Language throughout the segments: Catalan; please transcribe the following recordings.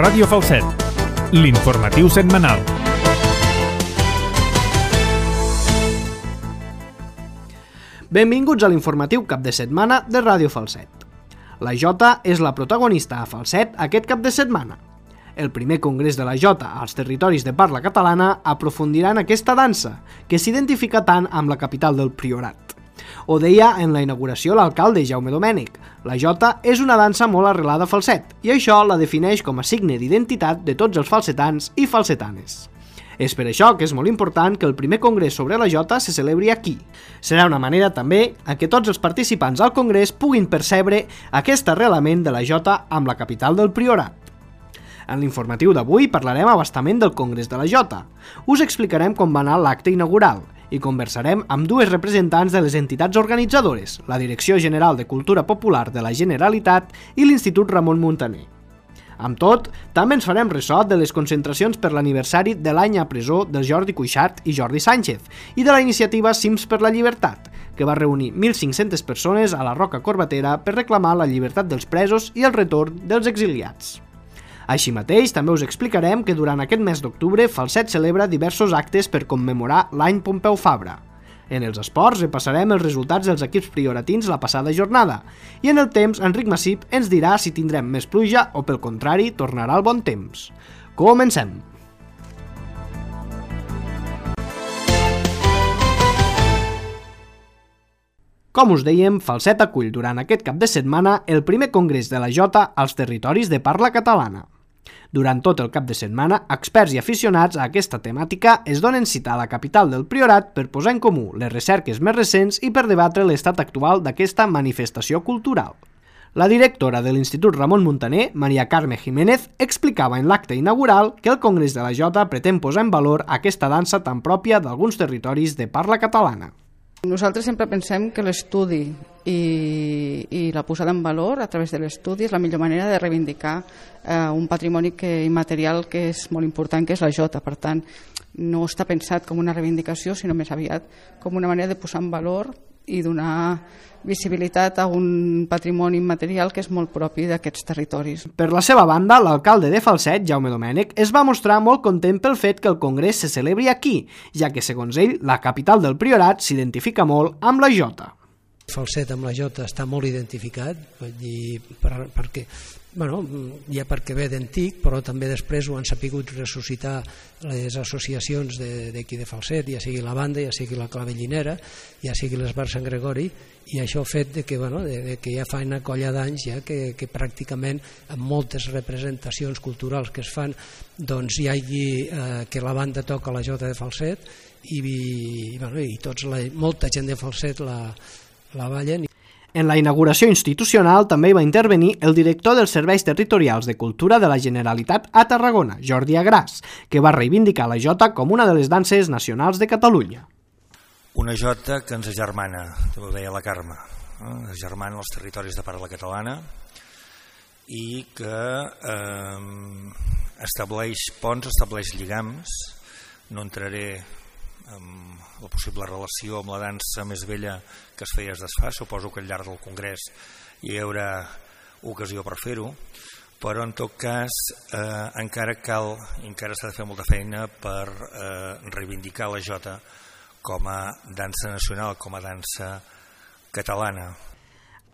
Ràdio Falset, l'informatiu setmanal. Benvinguts a l'informatiu cap de setmana de Ràdio Falset. La Jota és la protagonista a Falset aquest cap de setmana. El primer congrés de la Jota als territoris de parla catalana aprofundirà en aquesta dansa, que s'identifica tant amb la capital del Priorat. Ho deia en la inauguració l'alcalde Jaume Domènech. La Jota és una dansa molt arrelada a Falset i això la defineix com a signe d'identitat de tots els falsetans i falsetanes. És per això que és molt important que el primer congrés sobre la Jota se celebri aquí. Serà una manera també en què tots els participants al congrés puguin percebre aquest arrelament de la Jota amb la capital del Priorat. En l'informatiu d'avui parlarem a bastament del Congrés de la Jota. Us explicarem com va anar l'acte inaugural i conversarem amb dues representants de les entitats organitzadores, la Direcció General de Cultura Popular de la Generalitat i l'Institut Ramon Muntaner. Amb tot, també ens farem ressò de les concentracions per l'aniversari de l'any a presó de Jordi Cuixart i Jordi Sánchez i de la iniciativa Cims per la Llibertat, que va reunir 1.500 persones a la Roca Corbatera per reclamar la llibertat dels presos i el retorn dels exiliats. Així mateix, també us explicarem que durant aquest mes d'octubre Falset celebra diversos actes per commemorar l'any Pompeu Fabra. En els esports repassarem els resultats dels equips prioratins la passada jornada i en el temps Enric Massip ens dirà si tindrem més pluja o pel contrari tornarà el bon temps. Comencem! Com us dèiem, Falset acull durant aquest cap de setmana el primer congrés de la Jota als territoris de parla catalana. Durant tot el cap de setmana, experts i aficionats a aquesta temàtica es donen cita a la capital del Priorat per posar en comú les recerques més recents i per debatre l'estat actual d'aquesta manifestació cultural. La directora de l'Institut Ramon Muntaner, Maria Carme Jiménez, explicava en l'acte inaugural que el Congrés de la Jota pretén posar en valor aquesta dansa tan pròpia d'alguns territoris de parla catalana. Nosaltres sempre pensem que l'estudi i la posada en valor a través de l'estudi és la millor manera de reivindicar un patrimoni immaterial que és molt important, que és la Jota. Per tant, no està pensat com una reivindicació, sinó més aviat com una manera de posar en valor i donar visibilitat a un patrimoni immaterial que és molt propi d'aquests territoris. Per la seva banda, l'alcalde de Falset, Jaume Domènech, es va mostrar molt content pel fet que el congrés se celebri aquí, ja que, segons ell, la capital del Priorat s'identifica molt amb la Jota. Falset amb la Jota està molt identificat, perquè ja perquè ve d'antic, però també després ho han sapigut ressuscitar les associacions d'aquí de Falset, ja sigui la banda, ja sigui la clavellinera, ja sigui l'Esbar Sant Gregori, i això ha fet que ja fa una colla d'anys ja que pràcticament amb moltes representacions culturals que es fan doncs hi hagi que la banda toca la Jota de Falset i molta gent de Falset la ballen. En la inauguració institucional també hi va intervenir el director dels Serveis Territorials de Cultura de la Generalitat a Tarragona, Jordi Agràs, que va reivindicar la Jota com una de les danses nacionals de Catalunya. Una Jota que ens agermana, ho deia la Carme, agermana els territoris de parla catalana i que estableix ponts, estableix lligams. No entraré en la possible relació amb la dansa més vella que es feia es desfà, suposo que al llarg del congrés hi haurà ocasió per fer-ho, però en tot cas encara s'ha de fer molta feina per reivindicar la Jota com a dansa nacional, com a dansa catalana.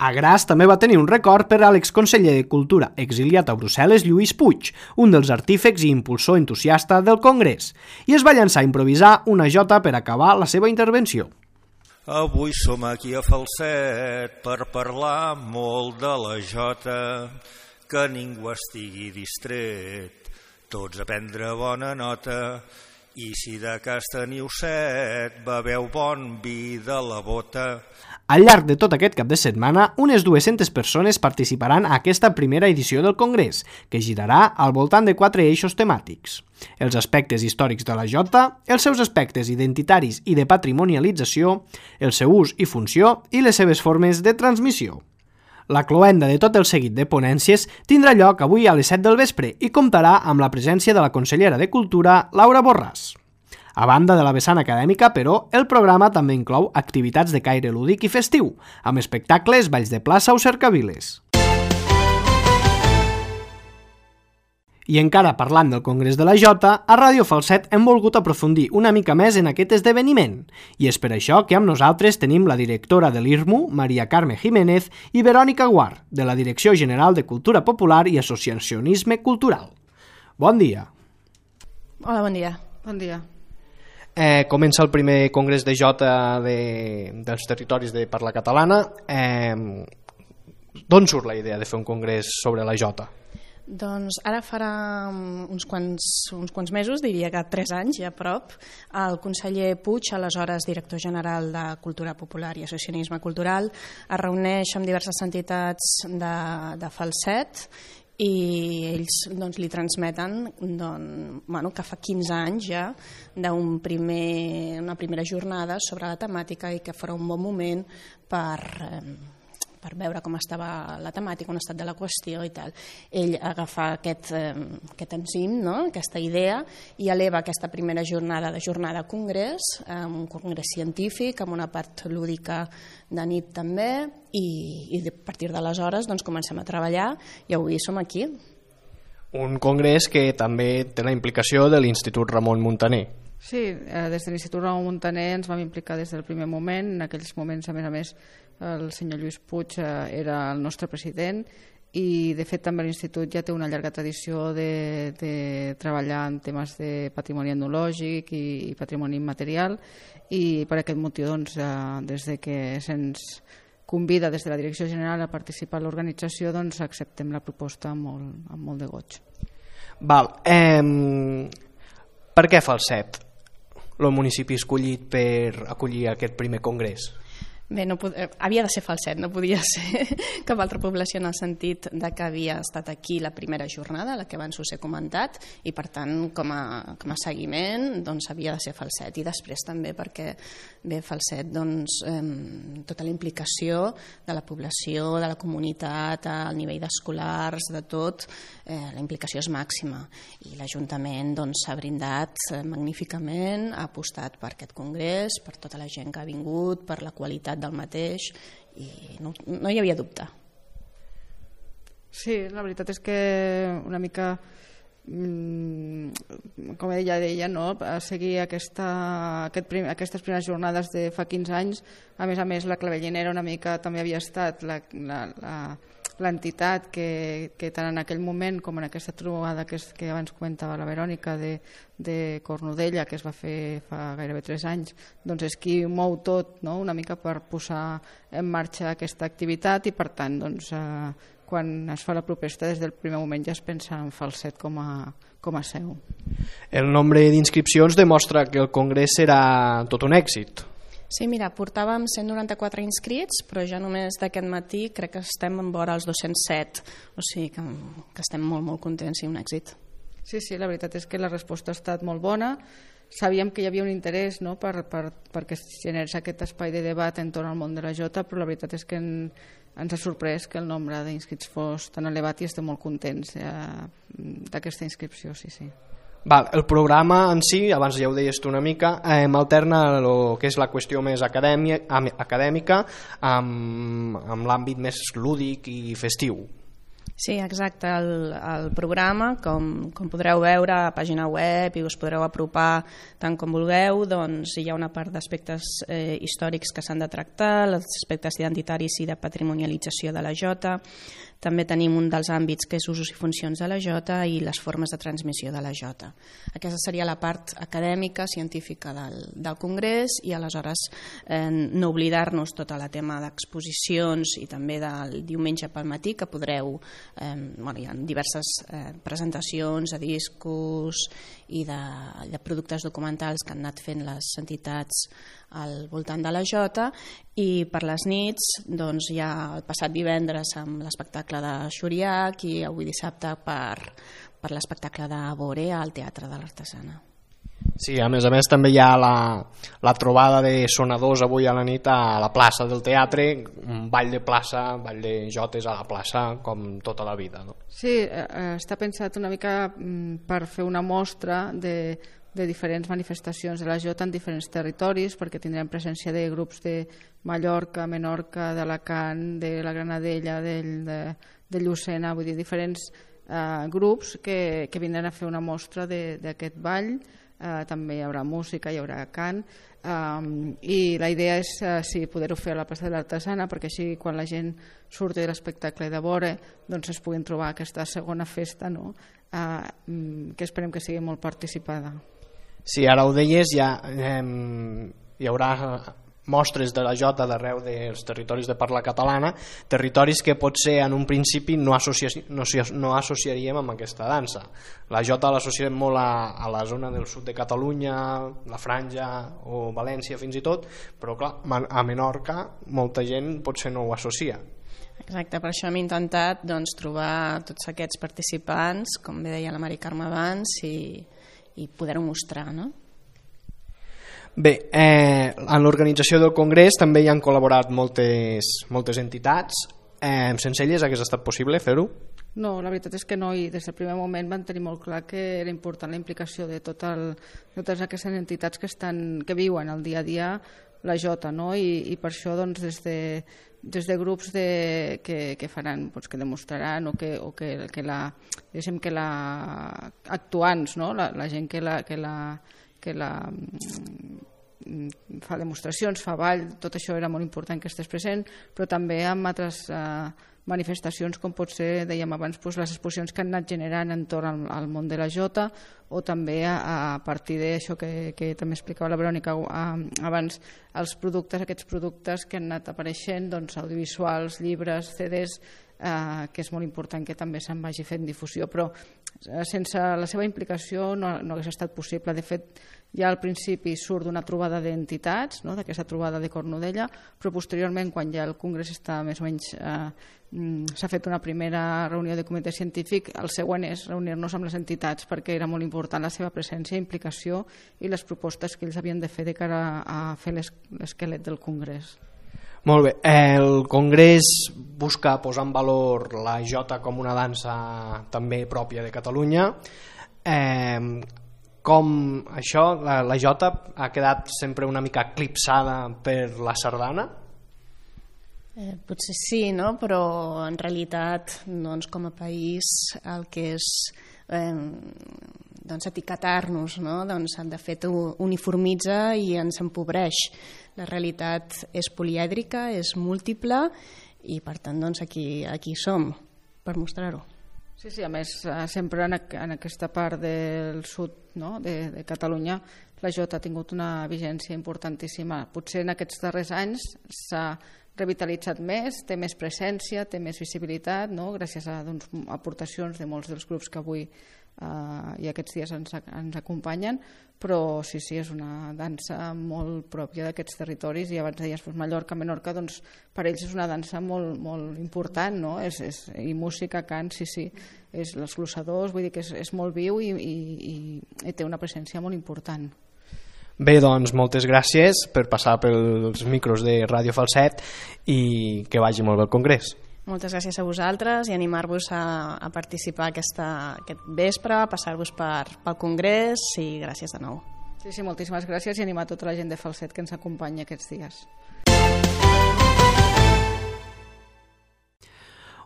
Agràs també va tenir un record per a l'exconseller de Cultura exiliat a Brussel·les, Lluís Puig, un dels artífecs i impulsor entusiasta del Congrés, i es va llançar a improvisar una Jota per acabar la seva intervenció. Avui som aquí a Falset per parlar molt de la Jota, que ningú estigui distret, tots a prendre bona nota, i si de cas teniu set, beveu bon vi de la bota. Al llarg de tot aquest cap de setmana, unes 200 persones participaran a aquesta primera edició del Congrés, que girarà al voltant de 4 eixos temàtics: els aspectes històrics de la Jota, els seus aspectes identitaris i de patrimonialització, el seu ús i funció i les seves formes de transmissió. La cloenda de tot el seguit de ponències tindrà lloc avui a les 7 del vespre i comptarà amb la presència de la consellera de Cultura, Laura Borràs. A banda de la vessant acadèmica, però, el programa també inclou activitats de caire lúdic i festiu, amb espectacles, balls de plaça o cercaviles. I encara parlant del Congrés de la Jota, a Ràdio Falset hem volgut aprofundir una mica més en aquest esdeveniment. I és per això que amb nosaltres tenim la directora de l'IRMU, Maria Carme Jiménez, i Verònica Guar, de la Direcció General de Cultura Popular i Associacionisme Cultural. Bon dia. Hola, bon dia. Bon dia. Comença el primer Congrés de Jota dels territoris de parla catalana. D'on surt la idea de fer un congrés sobre la Jota? Doncs ara farà uns quants mesos, diria que 3 anys ja a prop, el conseller Puig, aleshores director general de Cultura Popular i Associacionisme Cultural, es reuneix amb diverses entitats de Falset i ells doncs, li transmeten que fa 15 anys ja una primera jornada sobre la temàtica i que farà un bon moment per veure com estava la temàtica, on ha estat de la qüestió i tal. Ell agafa aquest enzim, no? Aquesta idea, i eleva aquesta primera jornada congrés, un congrés científic, amb una part lúdica de nit també, i a partir d'aleshores doncs, comencem a treballar i avui som aquí. Un congrés que també té la implicació de l'Institut Ramon Muntaner. Sí, des de l'Institut Ramon Muntaner ens vam implicar des del primer moment. En aquells moments, a més, el senyor Lluís Puig era el nostre president i, de fet, també l'Institut ja té una llarga tradició de treballar en temes de patrimoni etnològic i patrimoni immaterial, i per aquest motiu, doncs, des de que se'ns convida des de la Direcció General a participar en l'organització, doncs acceptem la proposta amb molt de goig. Val. Per què Falset, el municipi escollit per acollir aquest primer congrés? Bé, havia de ser Falset, no podia ser cap altra població, en el sentit de que havia estat aquí la primera jornada, la que abans us he comentat, i per tant com a seguiment doncs, havia de ser Falset. I després també perquè Falset, doncs, tota la implicació de la població, de la comunitat, al nivell d'escolars, de tot, la implicació és màxima, i l'Ajuntament s'ha brindat magníficament, ha apostat per aquest congrés, per tota la gent que ha vingut, per la qualitat del mateix, i no hi havia dubte. Sí, la veritat és que una mica, com ella deia, no? Seguir aquestes primeres jornades de fa 15 anys. A més, la Clavellinera una mica també havia estat l'entitat que tant en aquell moment com en aquesta trobada que abans comentava la Verònica de Cornudella, que es va fer fa gairebé 3 anys, doncs és qui mou tot, no? Una mica per posar en marxa aquesta activitat, i per tant doncs, quan es fa la proposta des del primer moment ja es pensa en Falset com a seu. El nombre d'inscripcions demostra que el congrés serà tot un èxit. Sí, mira, portàvem 194 inscrits, però ja només d'aquest matí crec que estem en vora els 207, o sigui que estem molt, molt contents i un èxit. Sí, la veritat és que la resposta ha estat molt bona. Sabíem que hi havia un interès, no?, perquè es generés aquest espai de debat entorn al món de la Jota, però la veritat és que ens ha sorprès que el nombre d'inscrits fos tan elevat i estem molt contents d'aquesta inscripció, sí. Val, el programa en si, abans ja ho deies tu una mica, alterna el que és la qüestió més acadèmica amb l'àmbit més lúdic i festiu. Sí, exacte. El programa, com podreu veure a la pàgina web i us podreu apropar tant com vulgueu, doncs hi ha una part d'aspectes històrics que s'han de tractar, els aspectes identitaris i de patrimonialització de la Jota. També tenim un dels àmbits que és usos i funcions de la Jota i les formes de transmissió de la Jota. Aquesta seria la part acadèmica, científica del Congrés, i aleshores no oblidar-nos tot el tema d'exposicions i també del diumenge pel matí, que podreu, hi ha diverses presentacions de discos i de productes documentals que han anat fent les entitats al voltant de la Jota, i per les nits doncs, hi ha el passat divendres amb l'espectacle de Xuriac i avui dissabte per l'espectacle de Borea al Teatre de l'Artesana. Sí, a més també hi ha la trobada de sonadors avui a la nit a la plaça del teatre, un ball de plaça, ball de jotes a la plaça, com tota la vida, no? Sí, està pensat una mica per fer una mostra de diferents manifestacions de la Jota en diferents territoris, perquè tindrem presència de grups de Mallorca, Menorca, d'Alacant, de la Granadella, de Llucena, vull dir, diferents grups que vindran a fer una mostra d'aquest ball. També hi haurà música, hi haurà cant, i la idea és poder-ho fer a la plaça de l'Artesana, perquè així quan la gent surti de l'espectacle de vora doncs es puguin trobar aquesta segona festa, no? Que esperem que sigui molt participada. Sí, ara ho deies, ja hi haurà mostres de la jota d'arreu dels territoris de parla catalana, territoris que potser en un principi no associaríem amb aquesta dansa. La jota l'associem molt a la zona del sud de Catalunya, la Franja o València fins i tot, però clar, a Menorca molta gent potser no ho associa. Exacte, per això hem intentat trobar tots aquests participants, com bé deia la Mari Carme abans, i poder-ho mostrar, no? Bé, en l'organització del Congrés també hi han col·laborat moltes entitats. Sense elles hagués estat possible fer-ho? No, la veritat és que no, i des del primer moment van tenir molt clar que era important la implicació de totes aquestes entitats que viuen el dia a dia la jota, no? I per això des de grups que faran, que demostraran o que actuants, no? La gent que la fa demostracions, fa ball, tot això era molt important que estigués present, però també amb altres manifestacions com pot ser, dèiem abans, les exposicions que han anat generant entorn al món de la jota, o també a partir d'això que també explicava la Verònica abans, aquests productes que han anat apareixent, audiovisuals, llibres, CDs, que és molt important que també se'n vagi fent difusió, però sense la seva implicació no hagués estat possible. De fet, ja al principi surt d'una trobada d'entitats, no? D'aquesta trobada de Cornudella, però posteriorment, quan ja el Congrés està més o menys s'ha fet una primera reunió de comitè científic, el següent és reunir-nos amb les entitats, perquè era molt important la seva presència, implicació i les propostes que ells havien de fer de cara a fer l'esquelet del Congrés. Molt bé, el Congrés busca posar en valor la jota com una dansa també pròpia de Catalunya. Com això, la jota ha quedat sempre una mica eclipsada per la sardana? Potser sí, no? Però en realitat com a país el que és etiquetar-nos, no? De fet uniformitza i ens empobreix. La realitat és polièdrica, és múltiple i per tant aquí som per mostrar-ho. Sí, a més sempre en aquesta part del sud, no? de Catalunya la jota ha tingut una vigència importantíssima. Potser en aquests darrers anys s'ha revitalitzat més, té més presència, té més visibilitat, no? Gràcies a aportacions de molts dels grups que avui i aquests dies ens acompanyen, però sí, és una dansa molt pròpia d'aquests territoris, i abans deies Mallorca, Menorca, per ells és una dansa molt, molt important, no? I música, cant, sí, és els glossadors, vull dir que és molt viu i té una presència molt important. Bé, doncs moltes gràcies per passar pels micros de Ràdio Falset i que vagi molt bé el Congrés. Moltes gràcies a vosaltres i animar-vos a participar aquest vespre, a passar-vos pel Congrés, i gràcies de nou. Sí, moltíssimes gràcies, i animar tota la gent de Falset que ens acompanya aquests dies.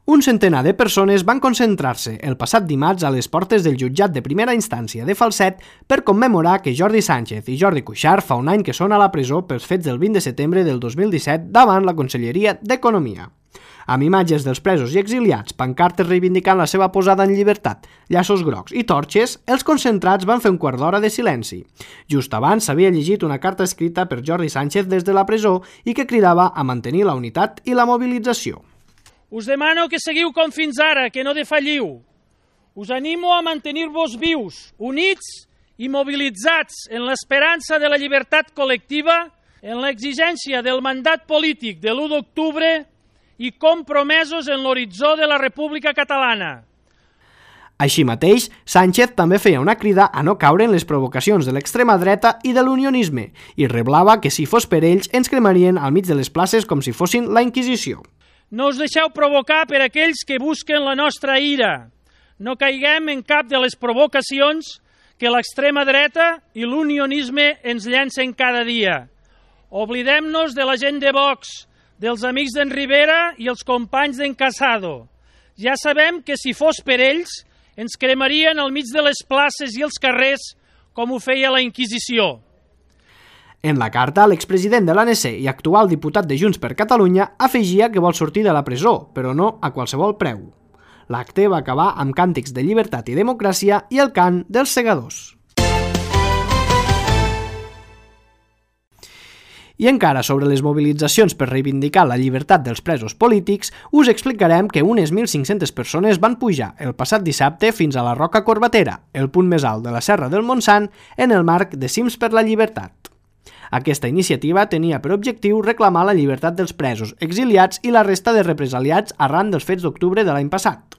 Un centenar de persones van concentrar-se el passat dimarts a les portes del jutjat de primera instància de Falset per commemorar que Jordi Sánchez i Jordi Cuixart fa un any que són a la presó pels fets del 20 de setembre del 2017 davant la Conselleria d'Economia. Amb imatges dels presos i exiliats, pancartes reivindicant la seva posada en llibertat, llaços grocs i torxes, els concentrats van fer un quart d'hora de silenci. Just abans s'havia llegit una carta escrita per Jordi Sánchez des de la presó i que cridava a mantenir la unitat i la mobilització. Us demano que seguiu com fins ara, que no defalliu. Us animo a mantenir-vos vius, units i mobilitzats en l'esperança de la llibertat col·lectiva, en l'exigència del mandat polític de l'1 d'octubre i compromesos en l'horitzó de la República Catalana. Així mateix, Sánchez també feia una crida a no caure en les provocacions de l'extrema dreta i de l'unionisme i reblava que si fos per ells ens cremarien al mig de les places com si fossin la Inquisició. No us deixeu provocar per aquells que busquen la nostra ira. No caiguem en cap de les provocacions que l'extrema dreta i l'unionisme ens llancen cada dia. Oblidem-nos de la gent de Vox, dels amics d'en Rivera i els companys d'en Casado. Ja sabem que si fos per ells, ens cremarien al mig de les places i els carrers com ho feia la Inquisició. En la carta, l'expresident de l'ANC i actual diputat de Junts per Catalunya afegia que vol sortir de la presó, però no a qualsevol preu. L'acte va acabar amb càntics de llibertat i democràcia i el cant dels segadors. I encara sobre les mobilitzacions per reivindicar la llibertat dels presos polítics, us explicarem que unes 1.500 persones van pujar el passat dissabte fins a la Roca Corbatera, el punt més alt de la Serra del Montsant, en el marc de Cims per la Llibertat. Aquesta iniciativa tenia per objectiu reclamar la llibertat dels presos, exiliats i la resta de represaliats arran dels fets d'octubre de l'any passat.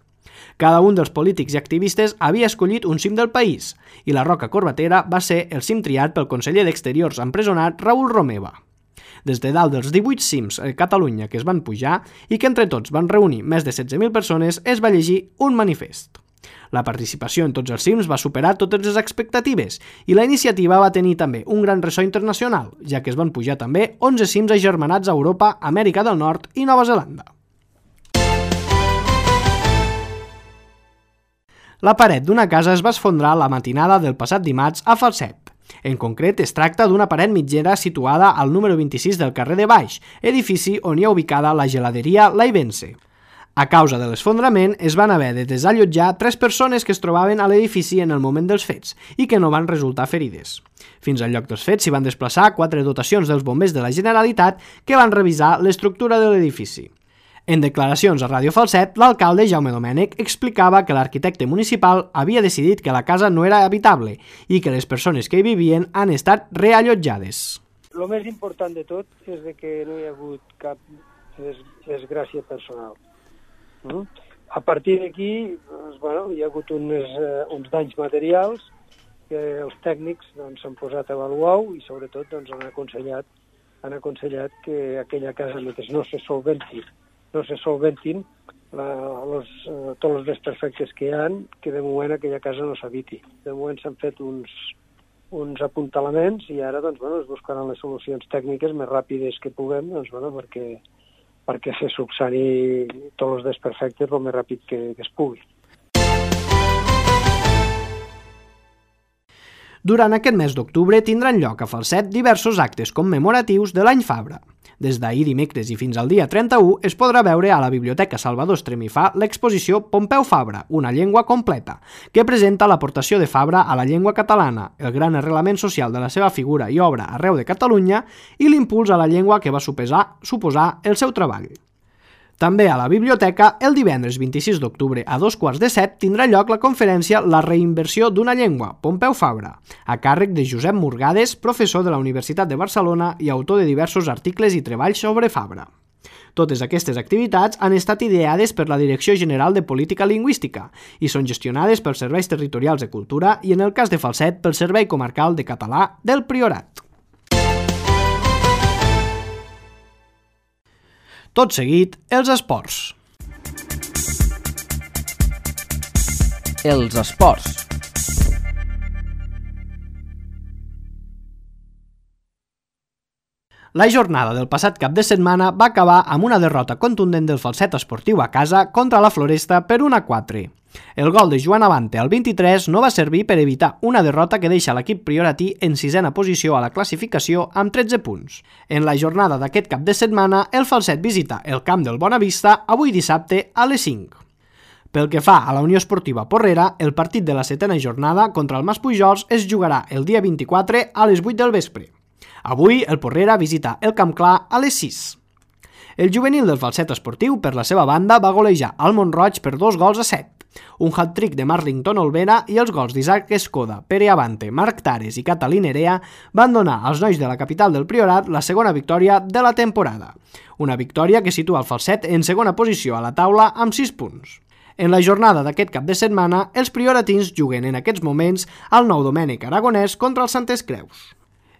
Cada un dels polítics i activistes havia escollit un cim del país, i la Roca Corbatera va ser el cim triat pel conseller d'Exteriors empresonat Raül Romeva. Des de dalt dels 18 cims a Catalunya que es van pujar i que entre tots van reunir més de 16.000 persones, es va llegir un manifest. La participació en tots els cims va superar totes les expectatives i la iniciativa va tenir també un gran ressò internacional, ja que es van pujar també 11 cims agermanats a Europa, Amèrica del Nord i Nova Zelanda. La paret d'una casa es va esfondrar la matinada del passat dimarts a Falset. En concret, es tracta d'una paret mitgera situada al número 26 del carrer de Baix, edifici on hi ha ubicada la geladeria Laivense. A causa de l'esfondrament, es van haver de desallotjar 3 persones que es trobaven a l'edifici en el moment dels fets i que no van resultar ferides. Fins al lloc dels fets s'hi van desplaçar 4 dotacions dels bombers de la Generalitat que van revisar l'estructura de l'edifici. En declaracions a Ràdio Falset, l'alcalde Jaume Domènech explicava que l'arquitecte municipal havia decidit que la casa no era habitable i que les persones que hi vivien han estat reallotjades. El més important de tot és que no hi ha hagut cap desgràcia personal. A partir d'aquí hi ha hagut uns danys materials que els tècnics s'han posat a avaluar i sobretot han aconsellat que aquella casa, mentre no se solventin tots els desperfectes que hi ha, que de moment aquella casa no s'habiti. De moment s'han fet uns apuntalaments i ara es buscaran les solucions tècniques més ràpides que puguem perquè se subsani tots els desperfectes el més ràpid que es pugui. Durant aquest mes d'octubre tindran lloc a Falset diversos actes commemoratius de l'any Fabra. Des d'ahir dimecres i fins al dia 31 es podrà veure a la Biblioteca Salvador Estremifà l'exposició Pompeu Fabra, una llengua completa, que presenta l'aportació de Fabra a la llengua catalana, el gran arrelament social de la seva figura i obra arreu de Catalunya i l'impuls a la llengua que va suposar el seu treball. També a la biblioteca, el divendres 26 d'octubre a 2:15 tindrà lloc la conferència La reinversió d'una llengua, Pompeu Fabra, a càrrec de Josep Murgades, professor de la Universitat de Barcelona i autor de diversos articles i treballs sobre Fabra. Totes aquestes activitats han estat ideades per la Direcció General de Política Lingüística i són gestionades pels Serveis Territorials de Cultura i, en el cas de Falset, pel Servei Comarcal de Català del Priorat. Tot seguit, els esports. Els esports. La jornada del passat cap de setmana va acabar amb una derrota contundent del Falset Esportiu a casa contra la Floresta per 1-4. El gol de Joan Abante al 23 no va servir per evitar una derrota que deixa l'equip prioratí en 6a posició a la classificació amb 13 punts. En la jornada d'aquest cap de setmana, el Falset visita el camp del Bonavista avui dissabte a les 5. Pel que fa a la Unió Esportiva Porrera, el partit de la 7a jornada contra el Maspujols es jugarà el dia 24 a les 8 del vespre. Avui el Porrera visita el Camp Clar a les 6. El juvenil del Falset Esportiu, per la seva banda, va golejar al Mont-roig per 2-7. Un hat-trick de Marlington Olvera i els gols d'Isaac Escoda, Pere Abante, Marc Tares i Catalí Nerea van donar als nois de la capital del Priorat la segona victòria de la temporada. Una victòria que situa el Falset en segona posició a la taula amb 6 punts. En la jornada d'aquest cap de setmana, els prioratins juguen en aquests moments al Nou Domènec Aragonès contra els Santes Creus.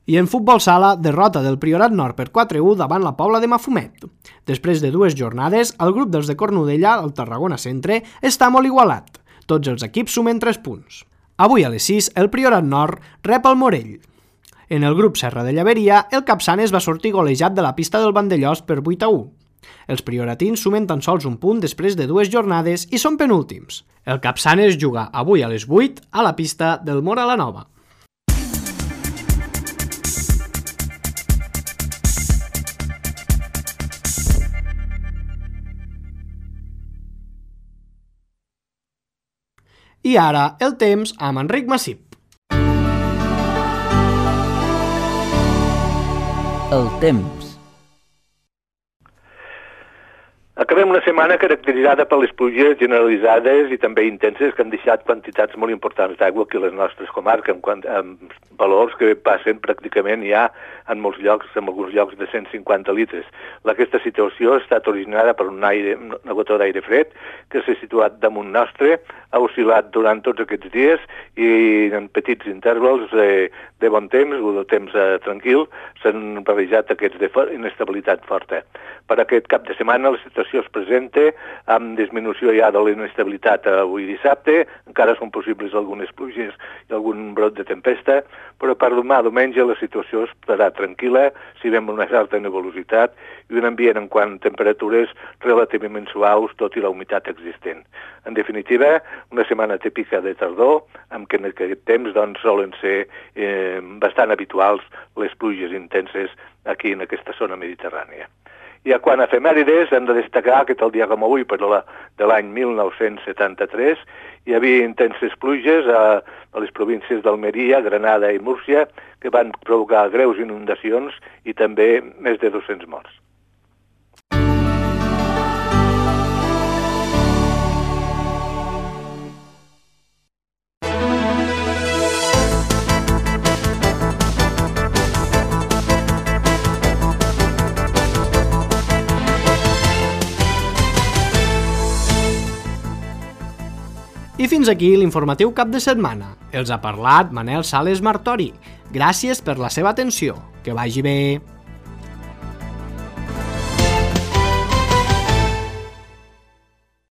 I en futbol sala, derrota del Priorat Nord per 4-1 davant la Pobla de Mafumet. Després de 2 jornades, el grup dels de Cornudella, al Tarragona Centre, està molt igualat. Tots els equips sumen 3 punts. Avui a les 6, el Priorat Nord rep el Morell. En el grup Serra de Llaveria, el Capçanes va sortir golejat de la pista del Vandellós per 8-1. Els prioratins sumen tan sols un punt després de 2 jornades i són penúltims. El Capçanes juga avui a les 8 a la pista del Móra la Nova. I ara el temps amb Enric Massip. El temps. Acabem una setmana caracteritzada per les pluges generalitzades i també intenses que han deixat quantitats molt importants d'aigua aquí a les nostres comarques, amb valors que passen pràcticament ja en molts llocs, en alguns llocs de 150 litres. Aquesta situació ha estat originada per una gota d'aire fred que s'ha situat damunt nostre, ha oscil·lat durant tots aquests dies i en petits intervals de bon temps o de temps tranquil s'han barrejat aquests d'inestabilitat forta. Per aquest cap de setmana la situació es presenta amb disminució ja de l'inestabilitat avui dissabte, encara són possibles algunes pluges i algun brot de tempesta, però per demà diumenge la situació estarà tranquil·la, si veiem una certa nebulositat i un ambient en quant a temperatures relativament suaus, tot i la humitat existent. En definitiva, una setmana típica de tardor, amb què en aquest temps doncs, solen ser bastant habituals les pluges intenses aquí en aquesta zona mediterrània. I quant a efemèrides, hem de destacar que el dia com avui, de l'any 1973, hi havia intenses pluges a les províncies d'Almeria, Granada i Múrcia, que van provocar greus inundacions i també més de 200 morts. I fins aquí l'informatiu cap de setmana. Els ha parlat Manel Sales Martori. Gràcies per la seva atenció. Que vagi bé.